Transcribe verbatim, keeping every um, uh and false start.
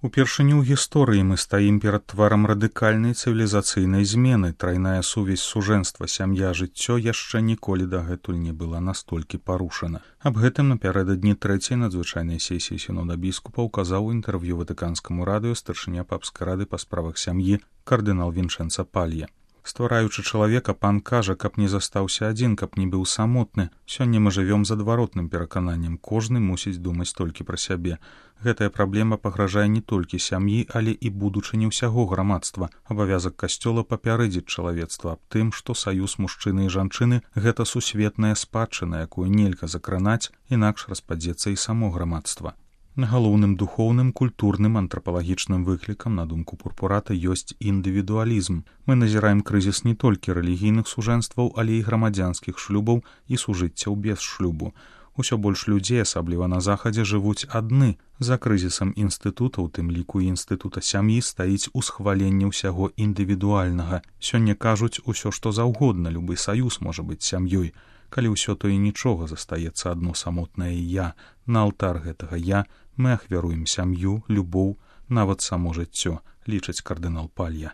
Упершыню ў гісторыі мы стаім перад тварам радыкальнай цывілізацыйнай змены. Трайная сувязь сужэнства, сям'я, жыццё яшчэ ніколі дагэтуль не была настолькі парушана. Аб гэтым напярэдадні трэцяй надзвычайнай сесіі сінода біскупаў казаў у інтэрв'ю ватыканскаму радыё старшыня папскай рады па справах сям'і кардынал Вінчэнца Палья. Ствараючы чалавека, пан кажа, каб не застаўся адзін, каб не быў самотны. Сёння мы жывём з адваротным перакананнем. Кожны мусіць думаць толькі пра сябе. Гэтая праблема пагражае не толькі сям'і, але і будучыні ўсяго грамадства. Абавязак касцёла папярэдзіць чалавецтва аб тым, што саюз мужчыны і жанчыны – гэта сусветная спадчына, якую нельга закранаць, інакш распадзецца і само грамадства. Галоўным духоўным, культурным, антрапалагічным выклікам, на думку пурпурата, ёсць індывідуалізм. Мы назіраем крызіс не толькі рэлігійных сужэнстваў, але і грамадзянскіх шлюбаў і сужыццяў без шлюбу. Усё больш людзей, асабліва на захадзе, жывуць адны. За крызісам інстытута, у тым ліку і інстытута сям'і, стаіць усхваленне ўсяго індывідуальнага. Сёння кажуць усё, што заўгодна, любы саюз можа быць сям'ёй. Калі ўсё то і нічога, застаецца адно самотнае я. На алтар гэтага я мы ахвяруем сям'ю, любоў, нават само жыццё, лічыць кардынал Палья.